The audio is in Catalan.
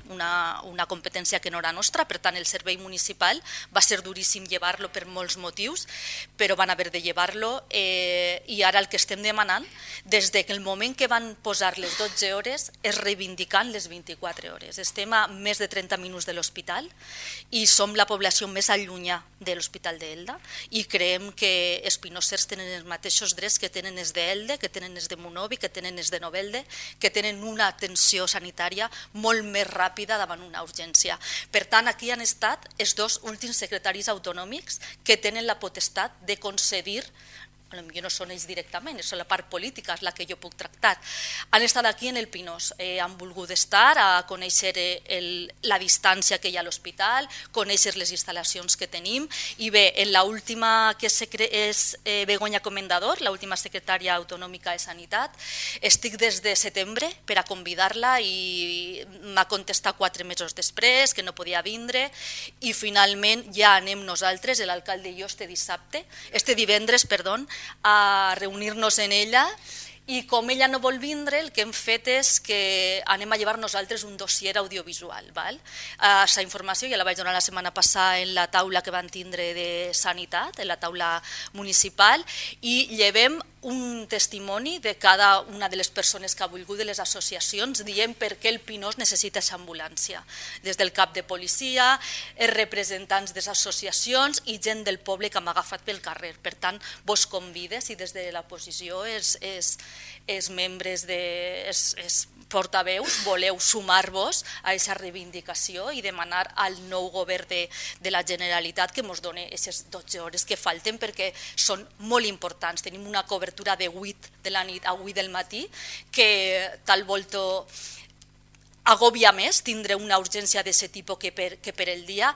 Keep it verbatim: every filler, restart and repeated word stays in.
una, una competència que no era nostra, per tant el servei municipal va ser duríssim llevar-lo per molts motius, però van haver de llevar-lo eh, i ara el que estem demanant, des del de moment que van posar les dotze hores, és reivindicant les vint-i-quatre hores. Estem a més de trenta minuts de l'hospital i som la població més allunyà de l'Hospital d'Elda i creiem que els pinossers tenen els mateixos drets que tenen els d'Elde, que tenen els de Monovi, que tenen els de Novelda, que tenen una atenció sanitària molt més ràpida davant una urgència. Per tant, aquí han estat els dos últims secretaris autonòmics que tenen la potestat de concedir, potser no són ells directament, és la part política, és la que jo puc tractar. Han estat aquí en el Pinós, eh, han volgut estar a conèixer el, la distància que hi ha a l'hospital, conèixer les instal·lacions que tenim i bé, en l'última que és, és eh, Begoña Comendador, l'última secretària autonòmica de Sanitat, estic des de setembre per a convidar-la i m'ha contestat quatre mesos després que no podia vindre i finalment ja anem nosaltres, l'alcalde i jo, este dissabte, este divendres, perdó, a reunir-nos en ella i com ella no vol vindre, el que hem fet és que anem a llevar nosaltres un dossier audiovisual. Aquesta informació ja la vaig donar la setmana passada en la taula que van tindre de Sanitat, en la taula municipal, i llevem un testimoni de cada una de les persones que ha volgut, de les associacions, dient per què el Pinós necessita aquesta ambulància. Des del cap de policia, els representants de les associacions i gent del poble que m'ha agafat pel carrer. Per tant, vos convides i des de la posició els, els, els membres, de, els, els portaveus, voleu sumar-vos a aquesta reivindicació i demanar al nou govern de, de la Generalitat que ens doni aquestes dotze hores que falten perquè són molt importants. Tenim una cobertura de vuit de la nit a vuit del matí que tal volta agòbia més tindre una urgència d'aquest tipus que per, que per el dia